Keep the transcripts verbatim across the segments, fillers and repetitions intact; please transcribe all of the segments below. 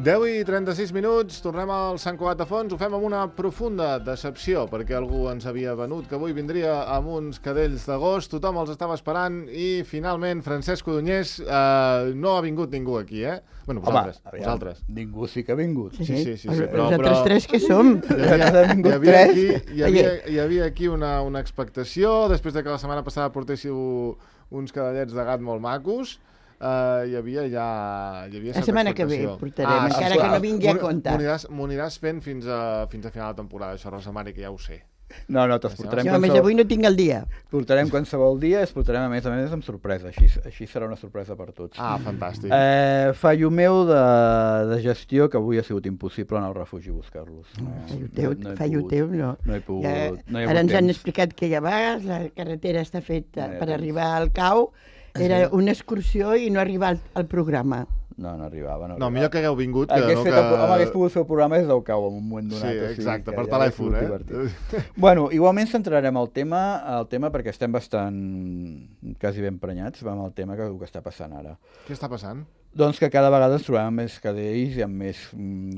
deu i trenta-sis minuts, tornem al Sant Cugat de Fonts, ho fem amb una profunda decepció, perquè algú ens havia venut que avui vindria amb uns cadells d'agost, tothom els estava esperant i finalment Francesc Codonyés eh, no ha vingut ningú aquí, eh? Bueno, vosaltres. Home, vosaltres. Ningú sí que ha vingut. Sí, sí, sí. sí, Els però, altres però... tres que som. Hi havia, hi havia, aquí, hi havia, hi havia aquí una, una expectació, després de que la setmana passada portéssiu uns cadellets de gat molt macos. Uh, hi havia ja... Hi havia la setmana que ve portarem, ah, encara que no vingui a compte. M'ho aniràs fent fins a, fins a final de temporada, això, Rosa Mari, que ja ho sé. No, no, te'ls portarem... Sí, home, qualsevol... avui no tinc el dia. Portarem qualsevol dia, es portarem a més a més amb sorpresa, així, així serà una sorpresa per tots. Ah, fantàstic. Eh, fallo meu de, de gestió, que avui ha sigut impossible anar al refugi a buscar-los. No, fallo teu, no, no fallo teu, no. No he pogut, ja, no he ara ens temps. han explicat que ja va, la carretera està feta no per temps. arribar al cau. Era una excursió i no arribar al, al programa. No, no arribava. No, no millor que hagueu vingut. Que no que... que... Home, hagués pogut fer el programa des del cau en un moment donat. Sí, exacte, o sigui, per telèfon, eh? Bueno, igualment centrarem el tema, el tema perquè estem bastant, quasi ben prenyats amb el tema que, que està passant ara. Què està passant? Doncs que cada vegada ens trobem amb més cadells i amb més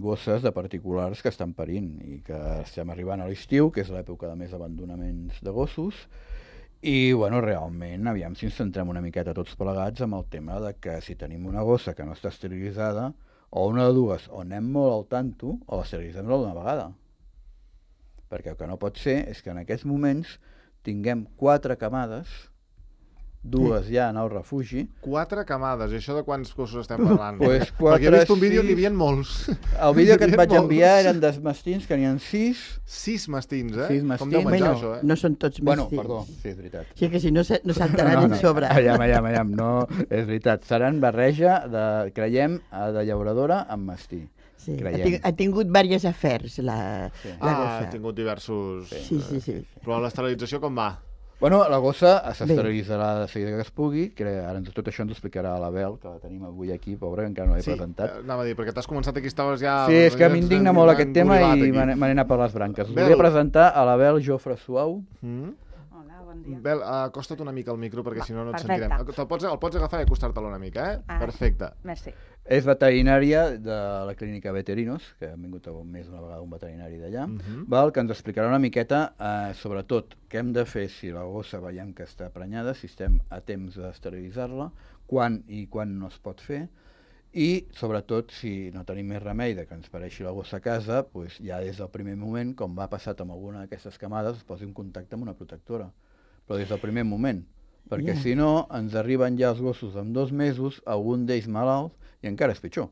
gosses de particulars que estan parint i que estem arribant a l'estiu, que és l'època de més abandonaments de gossos. I, bueno, realment, aviam si ens centrem una miqueta tots plegats amb el tema de que si tenim una gossa que no està esterilitzada, o una de dues, o anem molt al tanto, o l'esterilitzem d'una vegada. Perquè el que no pot ser és que en aquests moments tinguem quatre camades, dues ja en el refugi. Quatre camades, i això de quants gossos estem parlant? Pues quatre, perquè he vist un vídeo sis... que n'hi havia molts. El vídeo que et vaig molts. enviar eren dels mastins, que n'hi ha sis. Sis mastins, eh? Sis mastins. Com deu menjar, bueno, això, eh? No són tots mastins. Bueno, perdó, sí, és veritat. Sí, que si no, no saltaran no, no, en sobre. Aviam, aviam, aviam, no, és veritat. Seran barreja, de, creiem, de llauradora amb mastí. Sí, ha, ha tingut diversos afers, la, sí. la ah, gossa. ha tingut diversos... Sí, sí, sí. Però l'esterilització com va? Bueno, la gossa s'esterilitzarà de seguida que es pugui, que ara tot això ens ho explicarà l'Abel, que la tenim avui aquí, pobra, que encara no l'he sí, presentat. Sí, anava a dir, perquè t'has començat aquí, estaves ja... Sí, és que m'indigna molt aquest tema i me n'he anat per les branques. Us volia presentar a l'Abel Jofre Suau. Mm. Hola, bon dia. Bel, acosta't una mica al micro, perquè si no no et Perfecte. sentirem. El pots, el pots agafar i acostar-te'l una mica, eh? Ah, perfecte. Merci. És veterinària de la clínica Veterinos, que han vingut més d'una vegada un veterinari d'allà, uh -huh. val, que ens explicarà una miqueta, eh, sobretot, què hem de fer si la gossa veiem que està prenyada, si estem a temps d'esterilitzar-la, quan i quan no es pot fer, i, sobretot, si no tenim més remei de que ens pareixi la gossa a casa, doncs ja des del primer moment, com va passat amb alguna d'aquestes camades, es posi en contacte amb una protectora. Però des del primer moment, perquè yeah. si no, ens arriben ja els gossos en dos mesos, algun d'ells malalts, i encara és pitjor.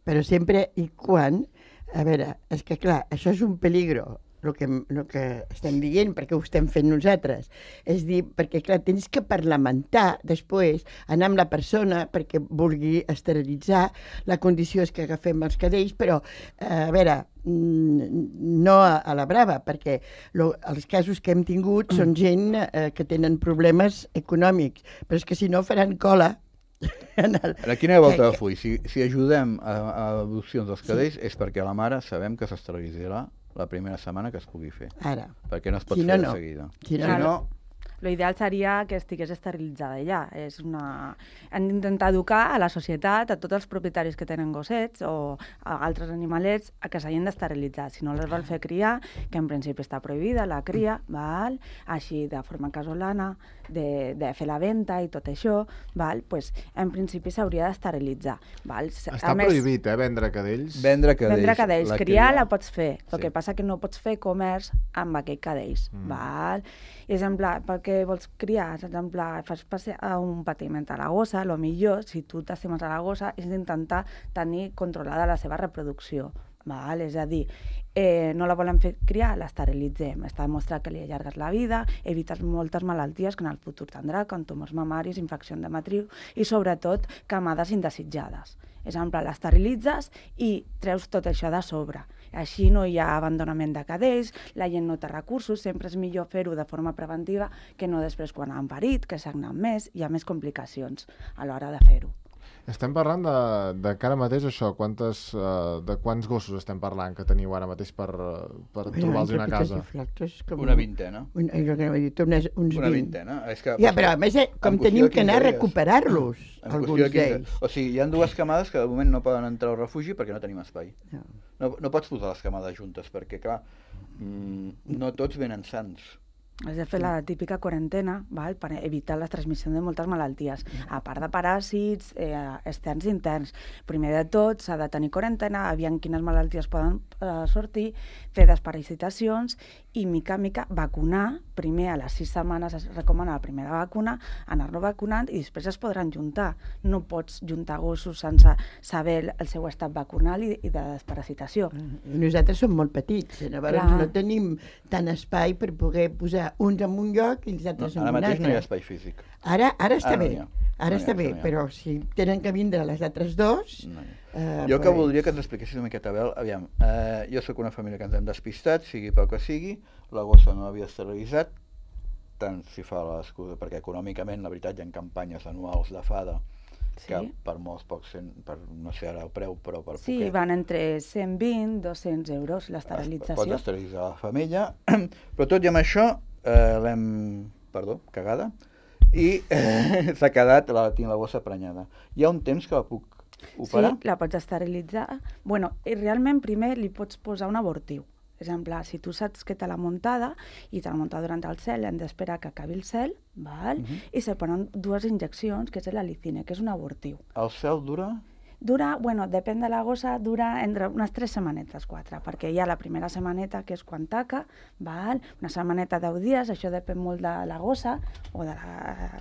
Però sempre i quan, a veure, és que clar, això és un peligro, el que, el que estem dient, perquè ho estem fent nosaltres. És dir, perquè clar, tens que parlamentar després, anar amb la persona perquè vulgui esterilitzar, la condició és que agafem els cadells, però, a veure, no a, a la brava, perquè lo, els casos que hem tingut són gent eh, que tenen problemes econòmics, però és que si no faran cola. En el... Ara, quina volta de full? Si, si ajudem a, a adopcions dels cadells sí. és perquè la mare sabem que s'esterilitzarà la primera setmana que es pugui fer. Ara. Perquè no es pot si fer no, no. de seguida. Si no, si no... L'ideal seria que estigués esterilitzada ja. És una... Hem d'intentar educar a la societat, a tots els propietaris que tenen gossets o a altres animalets, a que s'hagin d'esterilitzar. Si no les vol fer criar, que en principi està prohibida la cria, val? Així de forma casolana, de, de fer la venda i tot això, val? Pues, en principi s'hauria d'esterilitzar. Està més, prohibit, eh, vendre cadells? Vendre cadells. Vendre cadells. La criar cria... la pots fer, el sí. que passa que no pots fer comerç amb aquells cadells. Mm. Val? Exemple, perquè vols criar, exemple, fas passar un patiment a la gossa, el millor, si tu t'estimes a la gossa, és d'intentar tenir controlada la seva reproducció. Val? És a dir, eh, no la volem fer criar, l'esterilitzem. Està demostrat que li allargues la vida, evites moltes malalties que en el futur tindrà, com tumors mamaris, infecció de matriu i, sobretot, camades indesitjades. Exemple, l'esterilitzes i treus tot això de sobre. Així no hi ha abandonament de cadells, la gent no té recursos, sempre és millor fer-ho de forma preventiva que no després quan han parit, que sagnen més, hi ha més complicacions a l'hora de fer-ho. Estem parlant de, de que ara mateix això, quantes, uh, de quants gossos estem parlant que teniu ara mateix per, per trobar-los una casa? Com... Una vintena. Un, jo que dit, unes, uns una vint. vintena. És que, ja, però a més, eh, com tenim que anar a recuperar-los, alguns d'ells. O sigui, hi ha dues camades que de moment no poden entrar al refugi perquè no tenim espai. No, no, no pots posar les camades juntes perquè, clar, mm, no tots venen sans. Has de fer la típica quarantena, val? Per evitar la transmissió de moltes malalties, a part de paràsits, eh, externs i interns. Primer de tot, s'ha de tenir quarantena, aviam quines malalties poden eh, sortir, fer desparasitacions i, mica en mica, vacunar. Primer, a les sis setmanes es recomana la primera vacuna, anar-lo vacunant i després es podran juntar. No pots juntar gossos sense saber el seu estat vacunal i, i de desparasitació. I nosaltres som molt petits, llavors Clar. no tenim tant espai per poder posar uns en un lloc i els altres no, en un altre. Ara mateix no hi ha espai físic. Ara, ara està ara bé, no ara no està bé, no però si tenen que vindre les altres dos... No eh, jo pues... que voldria que ens expliquessis una miqueta, Abel, aviam, eh, jo sóc una família que ens hem despistat, sigui pel que sigui, la gossa no havia esterilitzat, tant si fa l'excusa, perquè econòmicament, la veritat, hi ha campanyes anuals de fada, sí. que per molts pocs, per, no sé ara el preu, però per sí, poquet. Van entre cent vint i dos-cents euros l'esterilització. Pots esterilitzar la femella, però tot i amb això, eh, l'hem, perdó, cagada, i eh, s'ha quedat, la, tinc la bossa prenyada. Hi ha un temps que la puc operar? Sí, la pots esterilitzar. Bueno, i realment primer li pots posar un abortiu. Per exemple, si tu saps que te l'ha muntada i te l'ha muntada durant el cel, hem d'esperar que acabi el cel, val? Uh -huh. i se ponen dues injeccions, que és la licina, que és un abortiu. El cel dura? Dura, bueno, depèn de la gossa, dura entre unes tres setmanetes, quatre, perquè hi ha la primera setmaneta, que és quan taca, val? Una setmaneta deu dies, això depèn molt de la gossa o de la,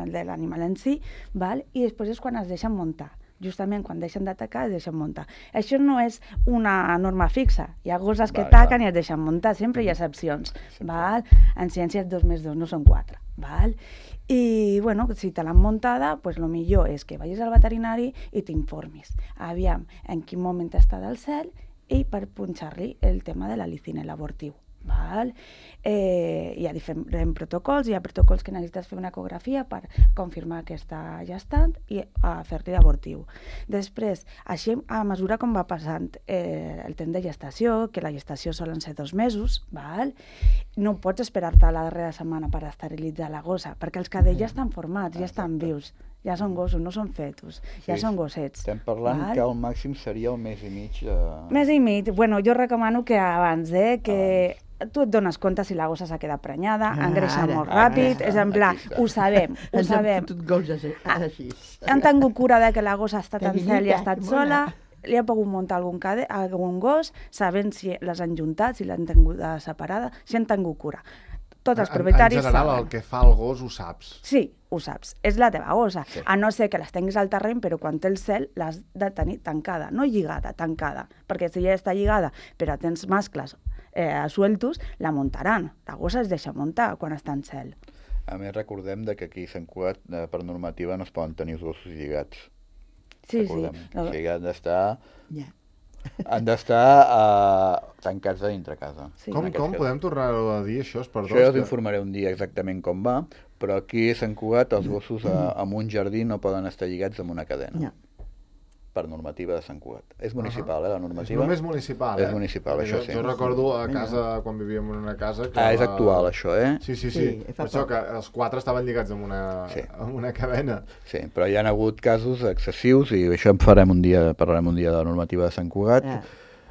de l'animal en si, val? I després és quan es deixen muntar. Justament quan deixen d'atacar es deixen muntar. Això no és una norma fixa. Hi ha gosses que taquen i es deixen muntar, sempre hi ha excepcions. Val? En ciències dos més dos no són quatre. Val? I, bueno, si te l'han muntada, pues lo millor és que vagis al veterinari i t'informis. Aviam en quin moment està del cel i per punxar-li el tema de la licina, l'abortiu. Val? Eh, hi ha diferents protocols, hi ha protocols que necessites fer una ecografia per confirmar que està gestant i a fer-li abortiu. Després, així a mesura com va passant eh, el temps de gestació, que la gestació solen ser dos mesos, val? No pots esperar-te a la darrera setmana per esterilitzar la gossa, perquè els cadells ja estan formats, ja estan vius, ja són gossos, no són fetus, ja són gossets. Estem parlant val? Que el màxim seria el mes i mig. De... Mes i mig, bueno, jo recomano que abans, eh, que... Abans. Tu et dones compte si la gossa s'ha quedat prenyada, ah, engreixa ara, molt ràpid, ara, és en pla, ho sabem, ho sabem. Han tingut cura de que la gossa ha estat en cel i ha estat sola, li ha pogut muntar algun, cade, algun gos, sabent si les han juntat, si l'han tingut separada, si han tingut cura. Tots els propietaris en general, saben. El que fa el gos ho saps. Sí, ho saps. És la teva gossa. Sí. A no ser que les tinguis al terreny, però quan té el cel l'has de tenir tancada. No lligada, tancada. Perquè si ja està lligada, però tens mascles eh, sueltos, la muntaran. La gossa es deixa muntar quan està en cel. A més, recordem que aquí a Sant Cugat, eh, per normativa, no es poden tenir els gossos lligats. Sí, recordem. sí. O sigui, han d'estar... Yeah. Han d'estar uh, tancats a dintre casa. Sí. Com, com podem tornar a dir això? Perdó, això ja us informaré un dia exactament com va, però aquí a Sant Cugat els gossos a, en un jardí no poden estar lligats amb una cadena. No. Per normativa de Sant Cugat. És municipal, uh -huh. eh, la normativa. És només municipal, eh? És municipal, jo, això sí. Jo recordo a casa, quan vivíem en una casa... Que ah, és la... actual, això, eh? Sí, sí, sí. sí per això que els quatre estaven lligats amb una, sí. amb una cadena. Sí, però hi ha hagut casos excessius i això en farem un dia, parlarem un dia de la normativa de Sant Cugat. Yeah.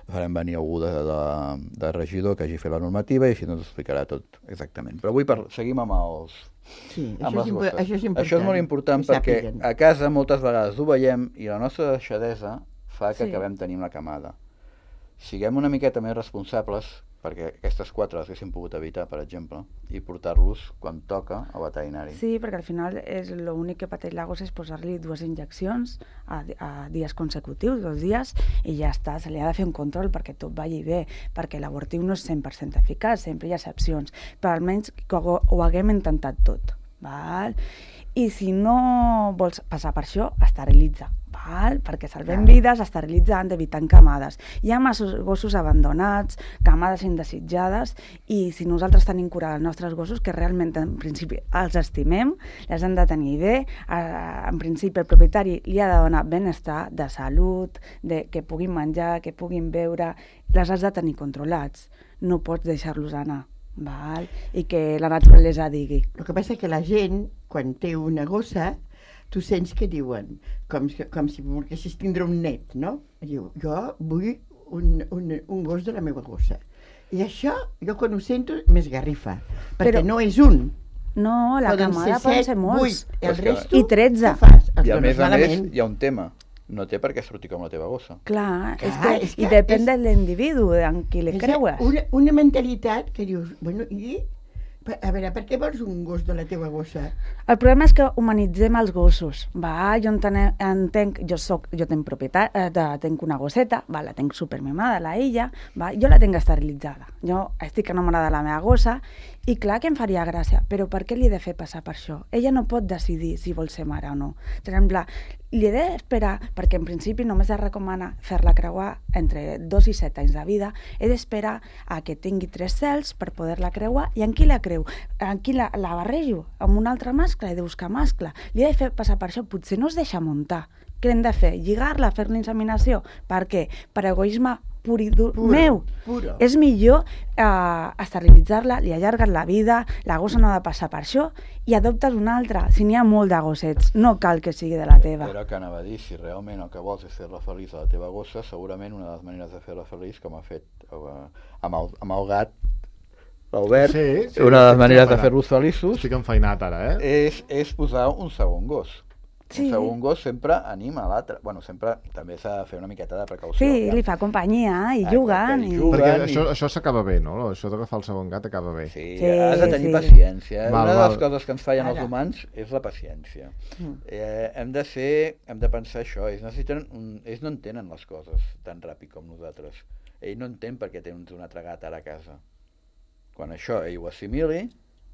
Farem venir algú de, de, de regidor que hagi fet la normativa i així ens explicarà tot exactament. Però avui per, seguim amb els... Sí, això és, això és important. Això és molt important perquè a casa moltes vegades ho veiem i la nostra deixadesa fa que sí. acabem tenint la camada. Siguem una miqueta més responsables, perquè aquestes quatre les haguéssim pogut evitar, per exemple, i portar-los quan toca al veterinari. Sí, perquè al final és l'únic que pateix la gossa és posar-li dues injeccions a, a dies consecutius, dos dies, i ja està, se li ha de fer un control perquè tot vagi bé, perquè l'abortiu no és cent per cent eficaç, sempre hi ha excepcions, però almenys que ho, ho haguem intentat tot. Val? I si no vols passar per això, esterilitza. Val? Perquè salvem vides esterilitzant, evitant camades. Hi ha massos gossos abandonats, camades indesitjades, i si nosaltres tenim cura dels nostres gossos, que realment en principi els estimem, les han de tenir bé, eh, en principi el propietari li ha de donar benestar, de salut, de que puguin menjar, que puguin beure, les has de tenir controlats, no pots deixar-los anar. Val? I que la naturalesa digui. El que passa és que la gent, quan té una gossa, tu sents que diuen, com, com si volguessis tindre un net, no? Diu, jo vull un, un, un gos de la meva gossa. I això, jo quan ho sento, m'esgarrifa, perquè Però... no és un. No, la Poden camada ser poden set, ser molts. vuit, el És que- resto, I tretze. què fas? Els I a dones més a més malament. hi ha un tema. No té per què sortir com la teva gossa. Clar, és Clar, que, és que i depèn és- de l'individu, en qui li És creues. Una, una mentalitat que dius, bueno, i... A veure, per què vols un gos de la teva gossa? El problema és que humanitzem els gossos. Va, jo entene, entenc, jo soc, jo tenc propietat, eh, de, tenc una gosseta, va, la tenc supermimada, la illa, va, jo la tenc esterilitzada. Jo estic enamorada de la meva gossa i clar que em faria gràcia, però per què li he de fer passar per això? Ella no pot decidir si vol ser mare o no. Per exemple, li he d'esperar, perquè en principi només es recomana fer-la creuar entre dos i set anys de vida, he d'esperar a que tingui tres cels per poder-la creuar, i en qui la creu? En qui la, la barrejo? Amb un altre mascle? He de buscar mascle. Li he de fer passar per això? Potser no es deixa muntar. Què hem de fer? Lligar-la, fer l'inseminació? Per què? Per egoisme pur i dur Puro, meu. puro. És millor eh, esterilitzar-la, li allargues la vida, la gossa no ha de passar per això, i adoptes una altra. Si n'hi ha molt de gossets, no cal que sigui de la teva. Era que anava a dir, si realment el que vols és fer-la feliç a la teva gossa, segurament una de les maneres de fer-la feliç, com ha fet eh, amb, el, amb el gat, l'Albert, Sí, sí, una de les estic maneres de enfeinat. fer-los feliços Estic enfeinat ara, eh? és, és posar un segon gos. Sí. Un segon gos sempre anima l'altre. Bueno, sempre també s'ha de fer una miqueta de precaució. Sí, ja. li fa companyia i Ah, juguen. que hi I... juguen. Perquè i- això, això s'acaba bé, no? Això d'agafar el segon gat acaba bé. Sí, Sí, has de tenir sí. paciència. Val, Una de les val. coses que ens fallen als Ara. humans és la paciència. Mm. Eh, hem de ser, hem de pensar això. Ells, necessiten un, ells no entenen les coses tan ràpid com nosaltres. Ell no entén per què tens un altre gat ara a casa. Quan això ell ho assimili,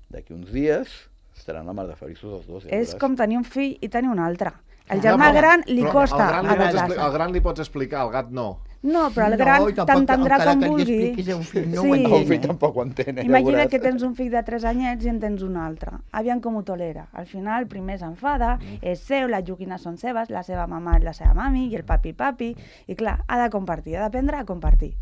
d'aquí uns dies estaran la mar de feliços els dos. Ja És veuràs. com tenir un fill i tenir un altre. El No, germà però- gran li Però costa el gran, li pots adaptar-se. expli- el gran li pots explicar, el gat no. No, però el No, gran i tampoc- t'entendrà encara com que li vulgui. expliquis a un fill, no ho Sí. entén. El fill tampoc ho entén, eh, ja Imagina veuràs. que tens un fill de tres anyets i en tens un altre. Aviam com ho tolera. Al final, primer s'enfada, és seu, les joguines són seves, la seva mamà és la seva mami i el papi papi. I clar, ha de compartir, ha d'aprendre a compartir.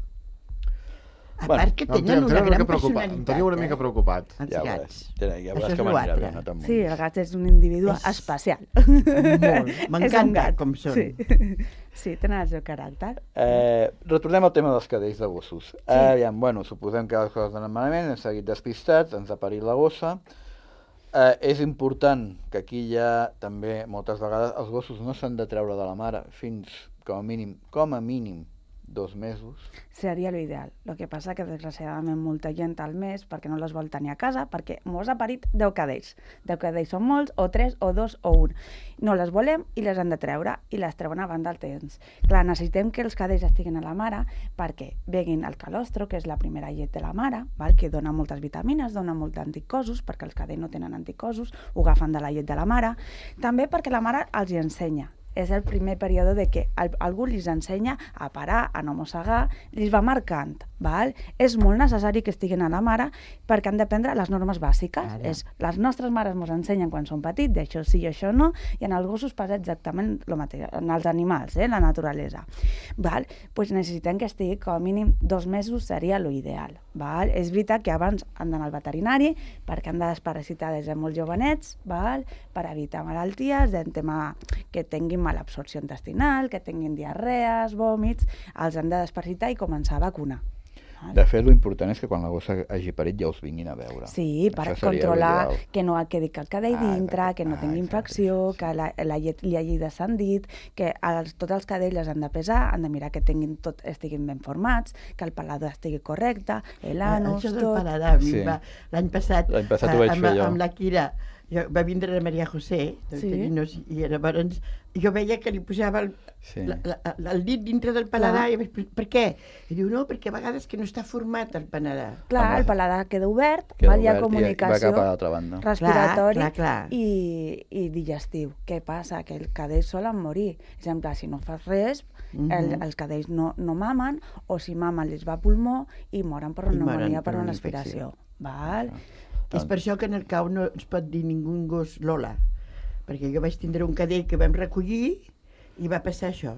A Bueno, part que Em tenen tenia- em una tenia una gran mica preocupat. Em personalitat. tenia una mica eh? preocupat. Els Ja gats. veuràs, ja, ja Això veuràs és que m'anirà l'altre. bé, no te'n Sí, muntis. el gat és un individu És- especial. Molt. És un M'encanta gat. com són. Sí. sí, tenen el seu caràcter. Eh, retornem al tema dels cadells de gossos. Sí. Eh, aviam, bueno, suposem que les coses anen malament, hem seguit despistats, ens ha parit la gossa. Eh, és important que aquí ja també moltes vegades els gossos no s'han de treure de la mare fins com a mínim, com a mínim dos mesos. Seria l'ideal. El que passa que desgraciadament molta gent al mes perquè no les vol tenir a casa, perquè mos ha parit deu cadells. deu cadells són molts, o tres, o dos, o un. No les volem i les han de treure, i les treuen abans del temps. Clar, necessitem que els cadells estiguin a la mare perquè beguin el calostro, que és la primera llet de la mare, val? Que dona moltes vitamines, dona molts anticossos, perquè els cadells no tenen anticossos, ho agafen de la llet de la mare. També perquè la mare els hi ensenya. És el primer període de que al- algú li ensenya a parar, a no mossegar, li va marcant, val? És molt necessari que estiguin a la mare perquè han d'aprendre les normes bàsiques. Ara. És, les nostres mares ens ensenyen quan són petits, d'això sí i això no, i en els gossos passa exactament el mateix, en els animals, eh, la naturalesa. Val? Pues necessitem que estigui com a mínim dos mesos, seria l'ideal. Val? És veritat que abans han d'anar al veterinari perquè han de desparasitar des de molt jovenets, val? Per evitar malalties, del tema que tinguin malabsorció intestinal, que tinguin diarrees, vòmits, els han de desparasitar i començar a vacunar. Val? De fet, l'important és que quan la gossa hagi parit ja us vinguin a veure. Sí, per Això seria controlar l'ideal. que no quedi cap cadell Ah, dintre, exacte. que no Ah, tingui exacte, infecció, això. que la, la llet li hagi descendit, que els, tots els cadells els han de pesar, han de mirar que tinguin tot, estiguin ben formats, que el paladar estigui correcte, l'anus, Això del tot. paladar, a mi Sí. va- l'any passat, L'any passat ho eh, vaig amb, fer jo. amb la Kira, jo, va vindre la Maria José, de Sí. Terinos, i llavors jo veia que li posava el, Sí. la, la, la, el dit dintre del paladar. I, per què? I diu, no, perquè a vegades que no està format el paladar. Clar, Home, el paladar queda obert, Queda val, hi ha obert i comunicació va cap a l'altra banda. respiratori Clar, clar, clar. I, i digestiu. Què passa? Que els cadells solen morir. Per exemple, si no fas res, Mhm. el, els cadells no, no mamen, o si mamen els va a pulmó i moren per I una moren pneumònia, per per una una aspiració. Val? És per això que en el cau no es pot dir ningú gos Lola, perquè jo vaig tindre un cadell que vam recollir i va passar això.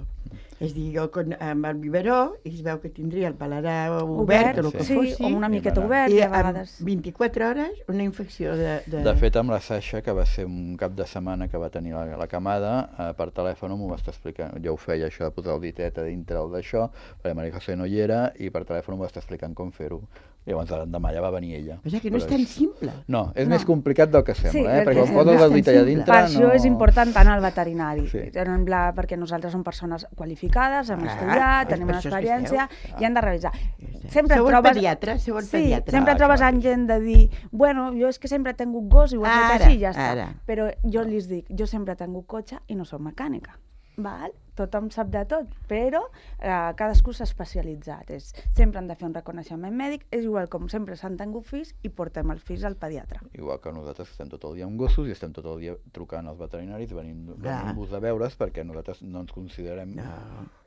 És dir, jo con, amb el biberó i es veu que tindria el paladar obert, obert o el que sí, fossi, o una I miqueta va anar. obert, i i a en vegades... vint-i-quatre hores una infecció de... De, De fet, amb la Sasha, que va ser un cap de setmana que va tenir la, la camada, eh, per telèfon m'ho va estar explicant. Jo ho feia, això de posar el ditet a dintre el d'això, perquè Maria José no hi era, i per telèfon m'ho va estar explicant com fer-ho. I llavors l'endemà ja va venir ella. O sigui que no és Però tan simple. No, és No. més complicat del que sembla, Sí, eh? és Perquè que quan no poses és el tan dit allà simple. dintre... Per això no... és important anar al veterinari, Sí. en pla, perquè nosaltres som persones qualificades, hem Clar, estudiat, és tenim per una això és que experiència esteu. i hem de revisar. Sempre Sempre sou el trobes... pediatre, sou el Sí, pediatre. sempre Ah, trobes això en gent de dir, bueno, jo és que sempre he tingut gos i ho he fet Ara, així i ja està. ara. Però jo els dic, jo sempre he tingut cotxe i no soc mecànica. Val? Tothom sap de tot, però eh, cadascú s'ha especialitzat. És, sempre han de fer un reconeixement mèdic, és igual com sempre s'han tingut fills i portem els fills al pediatre. Igual que nosaltres estem tot el dia amb gossos i estem tot el dia trucant als veterinaris, venint- Clar. venint-vos a veure's, perquè nosaltres no ens considerem... No,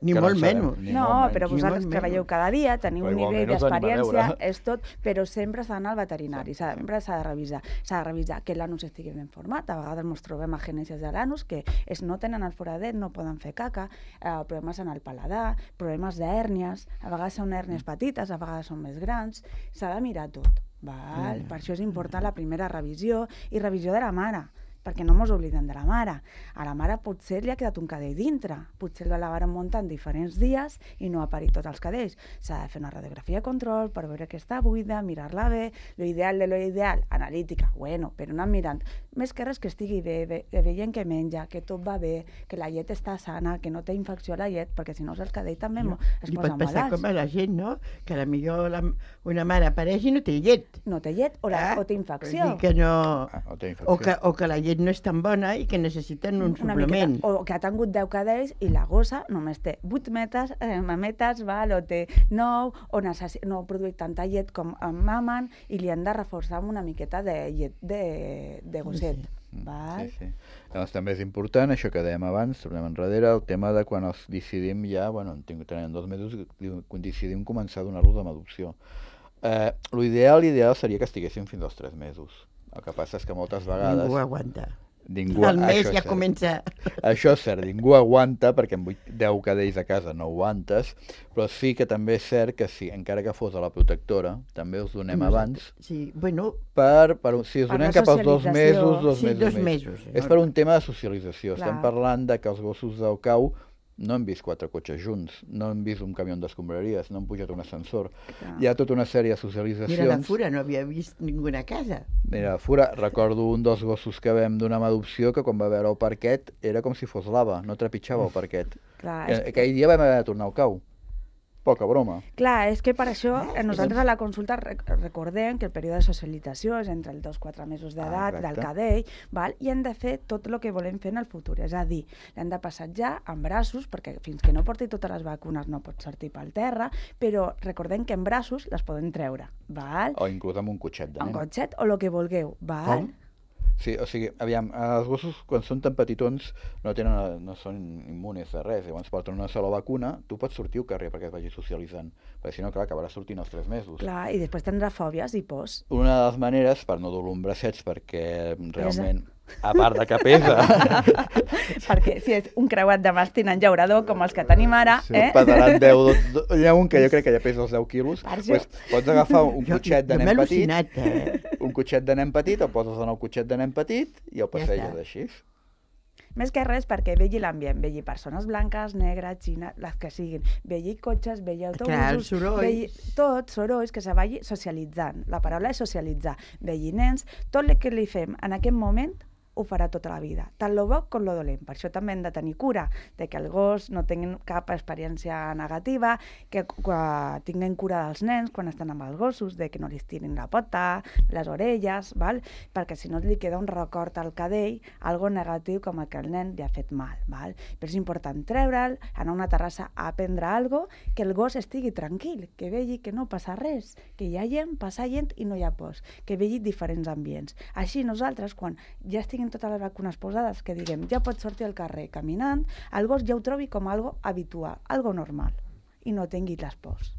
ni que no molt en sabem, menys. ni No, molt menys. però Ni vosaltres molt treballeu menys. cada dia, teniu Però un nivell igualment us venim a d'experiència, veure. és tot, però sempre s'ha d'anar al veterinari, Sempre, sempre s'ha de revisar. S'ha de revisar que l'anus estigui ben format, a vegades ens trobem a genèsies de l'anus que es no tenen el foradet, no poden fer caca, eh, problemes en el paladar, problemes d'hèrnies, a vegades són hèrnies petites, a vegades són més grans, s'ha de mirar tot. Val? Per això és important la primera revisió i revisió de la mare, perquè no mos oblidem de la mare. A la mare potser li ha quedat un cadell dintre, potser la varen muntar en diferents dies i no ha parit tots els cadells. S'ha de fer una radiografia de control per veure que està buida, mirar-la bé, lo ideal de lo ideal, analítica, bueno, però anar mirant. Més que res que estigui bé, bé, veient que menja, que tot va bé, que la llet està sana, que no té infecció a la llet, perquè si no el cadell també No, es li posa pot passar malalts. com a la gent, no? Que a la millor la, una mare apareix i no té llet. No té llet o, la, Ah, o té Vull infecció. dir que no... Ah, o té infecció. O que, o que la llet no és tan bona i que necessiten un Una suplement. miqueta, o que ha tingut deu cadells i la gossa només té vuit metes, eh, mametes, val, o té nou, o necessi- no produeix tanta llet com en mamen i li han de reforçar amb una miqueta de llet de, de gosset. Sí. Mm, Val? Sí, sí. Llavors també és important, això que dèiem abans, tornem enrere, el tema de quan els decidim ja, bueno, en tinc, tenen dos mesos, diu- quan decidim començar a donar-los amb adopció. Eh, l'ideal, l'ideal seria que estiguessin fins als tres mesos. El que passa és que moltes vegades... Ningú aguanta. Ningú, El mes això és ja cert. comença... Això és cert, ningú aguanta, perquè amb vuit, deu cadells a casa no aguantes, però sí que també és cert que si, encara que fos a la protectora, també us donem abans, Sí, bueno, per, per, si us Per donem la cap als dos socialització. mesos, dos sí, mesos dos més. mesos. És per un tema de socialització. Clar. Estem parlant de que els gossos del cau no han vist quatre cotxes junts, no han vist un camió d'escombraries, no han pujat un ascensor. Clar. Hi ha tota una sèrie de Mira, la socialitzacions. Fura no havia vist ninguna casa. Mira, Fura, recordo un dels gossos que vam donar amb adopció que quan va veure el parquet era com si fos lava, no trepitjava el parquet. Clar, Eh, és, Aquell dia vam haver de tornar al cau. Poca broma. clar, és que per això eh, nosaltres a la consulta rec recordem que el període de socialització és entre els dos i quatre mesos d'edat Ah, del exacte. cadell, val? I hem de fer tot el que volem fer en el futur, és a dir, l'hem de passejar en braços, perquè fins que no porti totes les vacunes no pot sortir pel terra, però recordem que en braços les poden treure, val? O inclús amb un cotxet de En nen. cotxet o el que vulgueu, val? Com? Sí, o sigui, aviam, els gossos quan són tan petitons no tenen, no són immunes de res, llavors porten una sola vacuna, tu pots sortir al carrer perquè es vagi socialitzant, perquè si no, clar, acabarà sortint als tres mesos. Clar, i després tindrà fòbies i pors. Una de les maneres, per no dur-lo en bracets, perquè realment, a part de que pesa, Perquè si és un creuat de mastin en llaurador, com els que tenim ara, sí, eh? pesaran deu, do, do, hi ha un que jo crec que ja pesa els deu quilos, Per això. pues, pots agafar un Jo, cotxet de jo m'he nen petit, al·lucinat, eh? un cotxet de nen petit, el poses en el cotxet de nen petit i el Ja passeges està. així. Més que res perquè vegi l'ambient, vegi persones blanques, negres, xines, les que siguin, vegi cotxes, vegi autobusos, Clar, els sorolls. vegi tot, sorolls, que se vagi socialitzant. La paraula és socialitzar. Vegi nens, tot el que li fem en aquest moment ho farà tota la vida, tant lo bo com lo dolent. Per això també hem de tenir cura de que el gos no tingui cap experiència negativa, que quan tinguin cura dels nens quan estan amb els gossos, de que no li estirin la pota, les orelles, val? Perquè si no li queda un record al cadell, algo negatiu com el que el nen li ha fet mal. Val? Però és important treure'l, anar a una terrassa a aprendre alguna cosa, que el gos estigui tranquil, que vegi que no passa res, que hi ha gent, passa gent i no hi ha pors, que vegi diferents ambients. Així nosaltres, quan ja estiguin totes les vacunes posades, que diguem, ja pots sortir al carrer caminant, el gos ja ho trobi com algo habitual, algo normal, i no tingui les pors.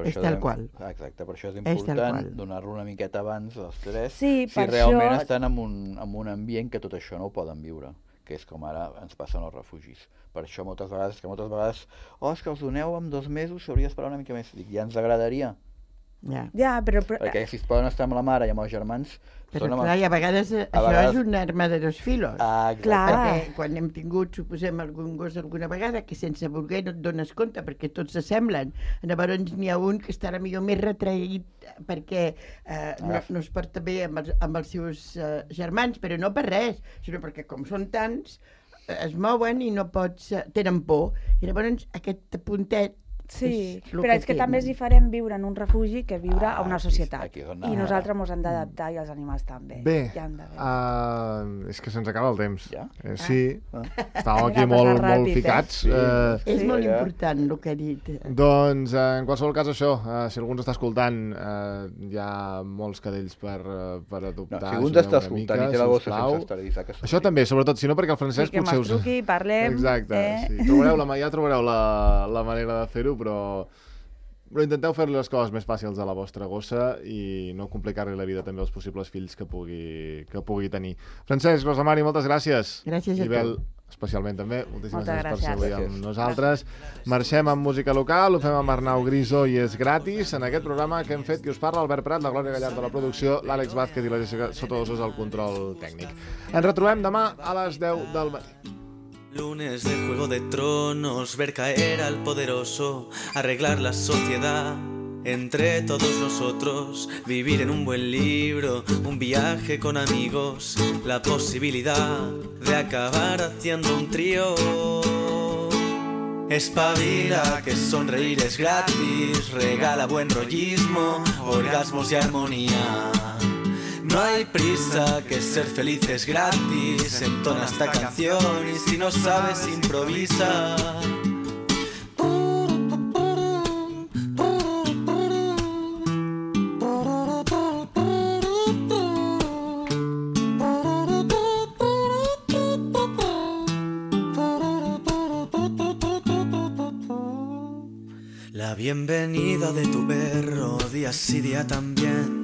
És tal qual. Exacte, per això és important donar-lo una miqueta abans els tres, sí, si realment estan en un, en un ambient que tot això no ho poden viure, que és com ara ens passen els refugis. Per això moltes vegades, que moltes vegades, oh, és que els doneu en dos mesos, s'hauria d'esperar una mica més. Dic, ja ens agradaria. Ja. Ja, però, però... Perquè si es poden estar amb la mare i amb els germans... Però clar, i a vegades a això vegades... és una arma de dos filos. Ah, clar. Perquè quan hem tingut, suposem, algun gos alguna vegada, que sense voler no et dones compte, perquè tots s'assemblen. Llavors n'hi ha un que estarà millor més retraït perquè eh, no, no es porta bé amb els, amb els seus eh, germans, però no per res, sinó perquè com són tants, eh, es mouen i no pots... Eh, tenen por. I llavors aquest puntet sí, és però és que tenen. També és diferent viure en un refugi que viure ah, a una societat. I nosaltres ens hem d'adaptar i els animals també. Bé, ja uh, és que se'ns acaba el temps. Ja? Eh, sí, ah. estàvem aquí molt, ràpid, molt ficats. Eh? Sí, uh, és sí, molt ja. important el que ha dit. Doncs, uh, en qualsevol cas, això, uh, si algú ens està escoltant, uh, hi ha molts cadells per, uh, per adoptar. No, si algú ens està escoltant mica, i té la gossa sense esterilitzar... Que això també, sobretot, si no perquè el Francesc sí, potser us... Sí, que m'estruqui, parlem... Exacte, eh? sí. Trobareu la, ja trobareu la, la manera de fer-ho, però... Però intenteu fer les coses més fàcils a la vostra gossa i no complicar-li la vida també als possibles fills que pugui, que pugui tenir. Francesc, Rosa Mari, moltes gràcies. Gràcies a tu. Ibel, especialment també, moltíssimes Moltes gràcies per ser avui amb gràcies. nosaltres. Marxem amb música local, ho fem amb Arnau Griso i és gratis en aquest programa que hem fet qui us parla, Albert Prat, la Glòria Gallard de la producció, l'Àlex Vázquez i la Jessica Sotodosos al control tècnic. Ens retrobem demà a les deu del matí. Lunes de Juego de Tronos, ver caer al poderoso, arreglar la sociedad entre todos nosotros, vivir en un buen libro, un viaje con amigos, la posibilidad de acabar haciendo un trío. Espabila, que sonreír es gratis, regala buen rollismo, orgasmos y armonía. No hay prisa, que ser feliz es gratis, entona esta canción y si no sabes improvisa. La bienvenida de tu perro, día sí día también.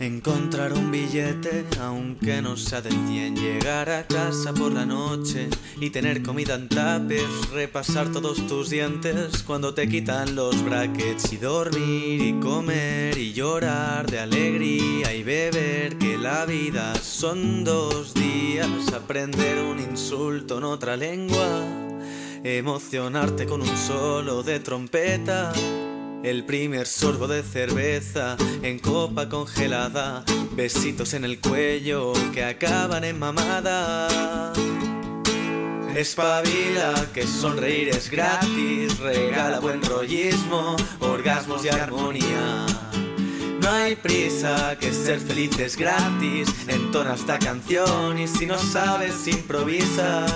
Encontrar un billete, aunque no sea de cien. Llegar a casa por la noche y tener comida en tuppers. Repasar todos tus dientes cuando te quitan los brackets. Y dormir y comer y llorar de alegría y beber. Que la vida son dos días. Aprender un insulto en otra lengua. Emocionarte con un solo de trompeta. El primer sorbo de cerveza en copa congelada, besitos en el cuello que acaban en mamada. Espabila, que sonreír es gratis, regala buen rollismo, orgasmos y armonía. No hay prisa, que ser feliz es gratis, entona esta canción y si no sabes improvisa.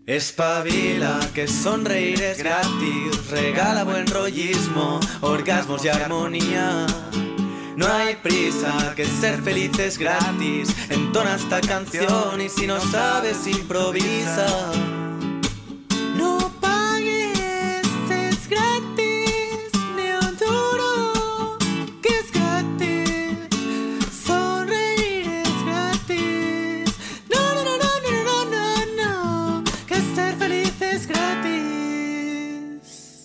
Espabila, que sonreír es gratis, regala buen rollismo, orgasmos y armonía. No hay prisa, que ser feliz es gratis, entona esta canción y si no sabes improvisa.